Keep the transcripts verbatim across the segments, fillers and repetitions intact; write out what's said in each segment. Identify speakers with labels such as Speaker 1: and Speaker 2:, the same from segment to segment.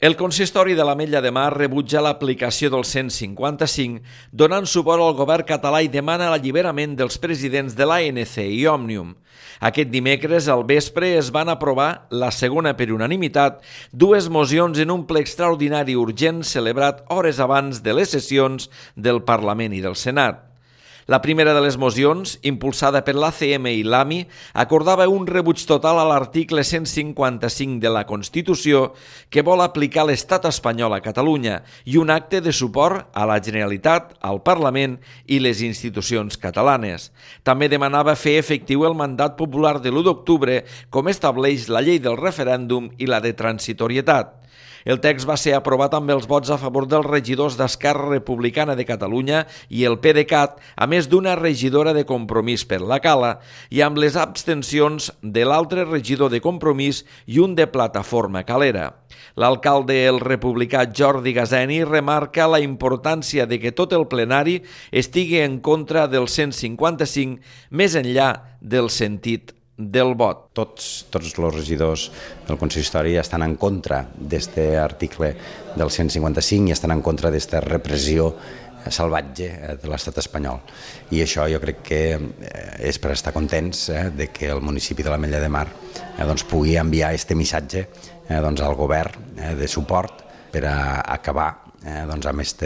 Speaker 1: El consistori de l'Ametlla de Mar rebutja l'aplicació del cent cinquanta-cinc, donant suport al govern català i demana l'alliberament dels presidents de l'A N C i Òmnium. Aquest dimecres al vespre es van aprovar, la segona per unanimitat, dues mocions en un ple extraordinari urgent celebrat hores abans de les sessions del Parlament i del Senat. La primera de les mocions, impulsada per l'A C M i l'A M I, acordava un rebuig total a l'article cent cinquanta-cinc de la Constitució que vol aplicar l'estat espanyol a Catalunya i un acte de suport a la Generalitat, al Parlament i les institucions catalanes. També demanava fer efectiu el mandat popular de l'u d'octubre, com estableix la llei del referèndum i la de transitorietat. El text va ser aprovat amb els vots a favor dels regidors d'Esquerra Republicana de Catalunya i el PDeCAT, a més d'una regidora de Compromís per la Cala, i amb les abstencions de l'altre regidor de Compromís i un de Plataforma Calera. L'alcalde el republicà Jordi Gazeni remarca la importància de que tot el plenari estigui en contra del cent cinquanta-cinc, més enllà del sentit del vot.
Speaker 2: Tots, tots els regidors del consistori estan en contra d'aquest article del cent cinquanta-cinc i estan en contra d'aquesta repressió salvatge de l'estat espanyol. I això jo crec que és per estar contents eh, de que el municipi de l'Ametlla de Mar eh, doncs, pugui enviar aquest missatge eh, doncs, al govern eh, de suport per a acabar Eh, doncs amb aquest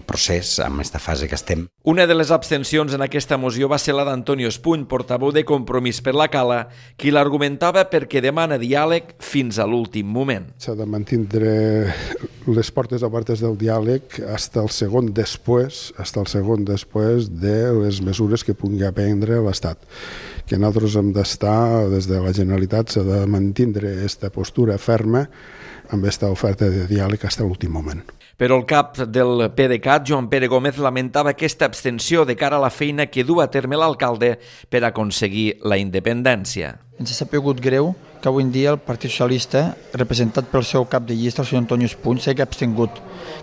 Speaker 2: procés, amb aquesta fase que estem.
Speaker 1: Una de les abstencions en aquesta moció va ser la d'Antonio Espuny, portaveu de Compromís per la Cala, qui l'argumentava perquè demana diàleg fins a l'últim moment.
Speaker 3: S'ha de mantenir les portes obertes del diàleg fins al segon després, fins al segon després de les mesures que pugui prendre l'Estat. Que nosaltres hem d'estar, des de la Generalitat, s'ha de mantenir aquesta postura ferma amb aquesta oferta de diàleg fins a l'últim moment.
Speaker 1: Però el cap del PDeCAT, Joan Pere Gómez, lamentava aquesta abstenció de cara a la feina que du a terme l'alcalde per aconseguir la independència.
Speaker 4: Ens ha sapigut greu que avui en dia el Partit Socialista, representat pel seu cap de llista, el senyor Antonio Espuny, s'hagi abstingut.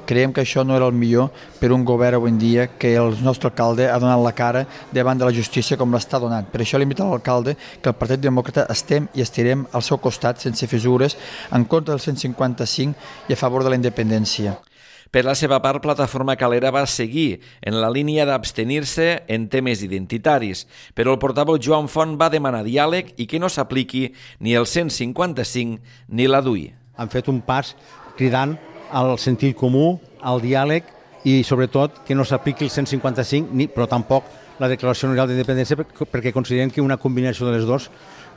Speaker 4: Creiem que això no era el millor per un govern avui en dia que el nostre alcalde ha donat la cara davant de la justícia com l'està donant. Per això limita l'alcalde que el Partit Demòcrata estem i estirem al seu costat sense fissures en contra del cent cinquanta-cinc i a favor de la independència.
Speaker 1: Per la seva part, Plataforma Calera va seguir en la línia d'abstenir-se en temes identitaris, però el portaveu Joan Font va demanar diàleg i que no s'apliqui ni el cent cinquanta-cinc ni la D U I.
Speaker 5: Han fet un pas cridant al sentit comú, al diàleg i sobretot que no s'apliqui el cent cinquanta-cinc, ni, però tampoc la Declaració Universal d'Independència, perquè considerem que una combinació de les dues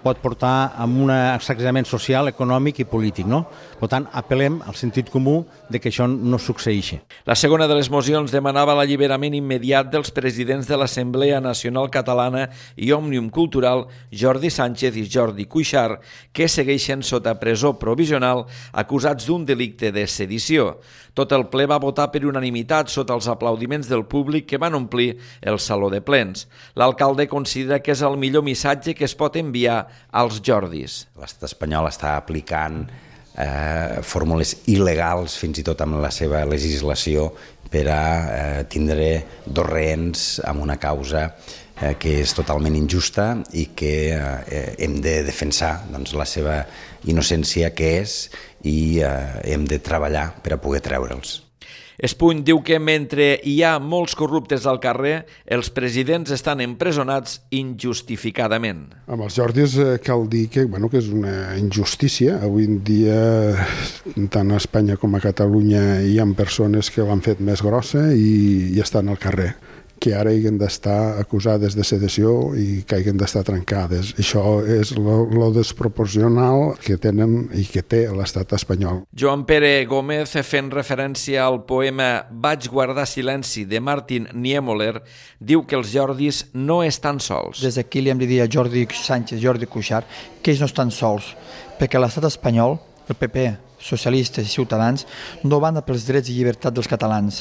Speaker 5: pot portar a un sacsejament social, econòmic i polític, no? Per tant, apel·lem al sentit comú de que això no succeeixi.
Speaker 1: La segona de les mocions demanava l'alliberament immediat dels presidents de l'Assemblea Nacional Catalana i Òmnium Cultural, Jordi Sánchez i Jordi Cuixart, que segueixen sota presó provisional acusats d'un delicte de sedició. Tot el ple va votar per unanimitat sota els aplaudiments del públic que van omplir el saló de plens. L'alcalde considera que és el millor missatge que es pot enviar als Jordis.
Speaker 2: L'estat espanyol està aplicant eh, fórmules il·legals, fins i tot amb la seva legislació, per a eh, tindre dos rehens amb una causa eh, que és totalment injusta i que eh, hem de defensar doncs, la seva innocència que és i eh, hem de treballar per a poder treure'ls.
Speaker 1: Espuny diu que mentre hi ha molts corruptes al carrer, els presidents estan empresonats injustificadament.
Speaker 3: Amb els Jordis eh, cal dir que, bueno, que és una injustícia. Avui en dia, tant a Espanya com a Catalunya, hi ha persones que l'han fet més grossa i, i estan al carrer, que ara hagin d'estar acusades de sedició i que hagin d'estar trencades. Això és lo desproporcional que tenen i que té l'estat espanyol.
Speaker 1: Joan Pere Gómez, fent referència al poema Vaig guardar silenci de Martin Niemöller, diu que els Jordis no estan sols.
Speaker 4: Des d'aquí li hem de dir a Jordi Sánchez, Jordi Cuixart, que ells no estan sols, perquè l'estat espanyol, el P P, socialistes i ciutadans, no van a pels drets i llibertats dels catalans,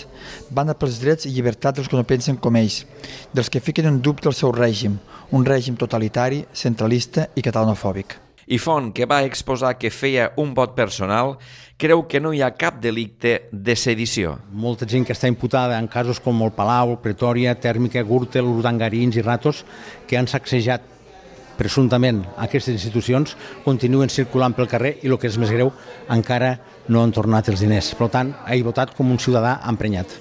Speaker 4: van a pels drets i llibertats dels que no pensen com ells, dels que fiquen en dubte el seu règim, un règim totalitari, centralista i catalanofòbic.
Speaker 1: I Font, que va exposar que feia un vot personal, creu que no hi ha cap delicte de sedició.
Speaker 5: Molta gent que està imputada en casos com el Palau, Pretòria, Tèrmica, Gürtel, Urdangarins i Ratos, que han sacsejat presumptament aquestes institucions, continuen circulant pel carrer i el que és més greu, encara no han tornat els diners. Per tant, he votat com un ciutadà emprenyat.